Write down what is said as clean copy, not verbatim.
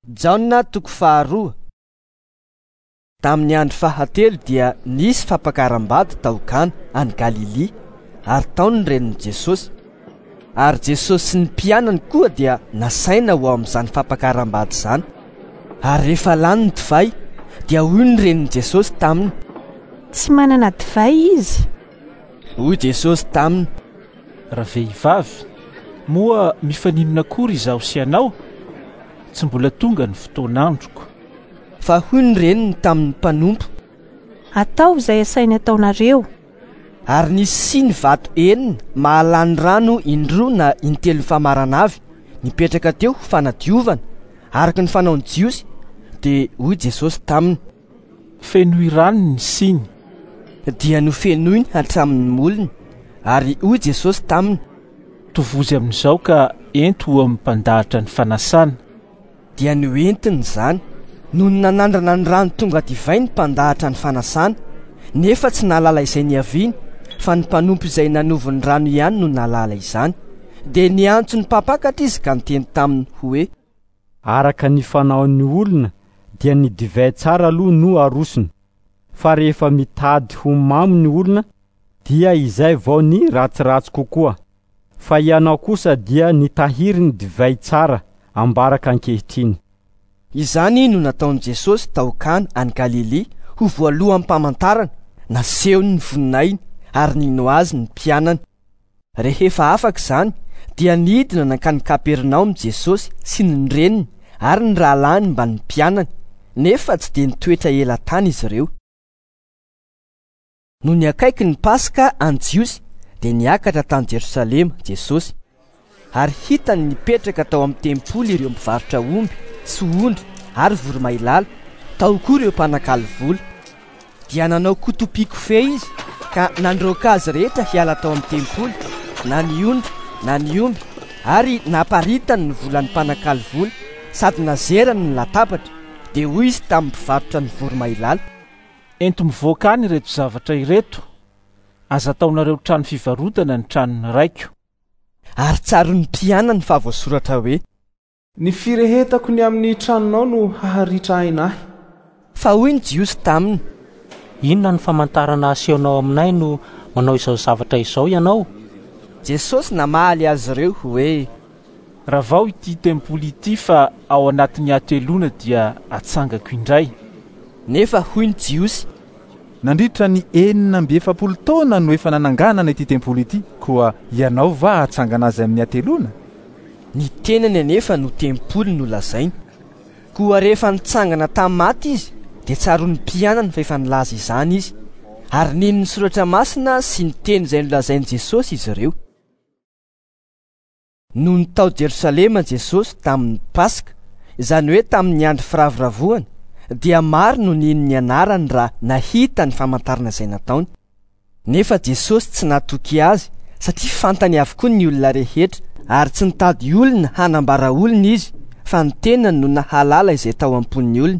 Jaona toko faharoa. Tamin'ny andro fahatelo dia nisy fampakaram-bady tao Kana any Galilia, ary tao ny renin'i Jesosy. Ary Jesosy sy ny mpianany koa dia nasaina ho ao amin'izany fampakaram-bady izany. Ary rehefa lany ny divay, dia hoy ny renin'i Jesosy taminy: Tsy manana divay izy. Hoy Jesosy taminy: Ravehivavy, moa mifaninona akory izaho sy ianao? Tsy mbola tonga ny fotoan'androko. Fa hoy ny reniny tamin'ny mpanompo: Ataovy izay asainy ataonareo. Ary nisy siny vato enina mahalany rano indroa na intelo famarana avy nipetraka teo ho fanadiovana, araka ny fanaon'ny Jiosy. Dia hoy Jesosy taminy: Fenoy rano ny siny. Dia nofenoiny hatramin'ny molony. Ary hoy Jesosy taminy: Tovozy amin'izao ka ento ho amin'ny mpandahatra ny fanasana. Dia noentiny izany. Nony nanandrana ny rano tonga divay ny mpandahatra ny fanasana, nefa tsy nahalala izay niaviany, fa ny mpanompo izay nanovo ny rano ihany no nahalala izany. Dia niantso ny mpampakatra izy ka niteny taminy hoe: Araka ny fanaon'ny olona dia ny divay tsara aloha no arosony, fa rehefa mitady ho mamo ny olona dia izay vao ny ratsiratsy kokoa. Fa ianao kosa dia nitahiry ny divay tsara ambaraka ankehitriny. Izany no nataon'i Jesosy tao Kana any Galilia ho voaloham-pamantarana, nasehony ny voninahiny ary nino azy ny mpianany. Rehefa afaka izany dia nidina nankany Kapernaomy Jesosy sy ny reniny ary ny rahalahiny mba ny mpianany, nefa tsy dia nitoetra ela tany izy ireo. Nony akaiky ny Paska any Jiosy dia niakatra tany Jerosalema Jesosy. Ary hitany nipetraka tao amin'ny tempoly ireo mpivarotra omby sy ondry ary voromailala, tao koa ireo mpanakalo vola. Dia nanao kotopikofehy izy ka nandroaka azy rehetra hiala tao amin'ny tempoly, na ny ondry na ny omby, ary naparitany ny volan'ny mpanakalo vola sady nazerany ny latabatra. Dia hoy izy tamin'ny mpivarotra ny voromailala: Ento mivoaka any ireto zavatra ireto, aza ataonareo trano fivarotana ny tranon'ny raiko. Ary tsaroan'ny mpianany fa voasoratra hoe: Ny firehetako ny amin'ny tranonao no haharitra aina ahy. Fa hoy ny Jiosy taminy: Inona no famantarana asehonao aminay no manao izao zavatra izao ianao? Jesosy namaly azy ireo hoe: Ravao ity tempoly ity fa ao anatin'ny hateloana dia atsangako indray. Nefa hoy ny Jiosy: Nandritra ny 46 taona no efa nananganana ity tempoly ity, koa ianao va hatsangana azy amin'ny hateloana? Ny tenany anefa no tempoly nolazainy. Koa rehefa nitsangana tamin'ny maty izy, dia tsaroan'ny mpianany fa efa nilaza izany izy, ary nino ny soratra masina sy ny teny izay nolazain'i Jesosy izy ireo. Nony tao Jerosalema Jesosy tamin'ny Paska, izany hoe tamin'ny andro firavoravoana, dia maro no nino ny anarany raha nahita ny famantarana izay nataony. Nefa Jesosy tsy natoky azy satria fantany avokoa ny olona rehetra, ary tsy nitady olona hanambara olona izy, fa ny tenany no nahalala izay tao am-pon'ny olona.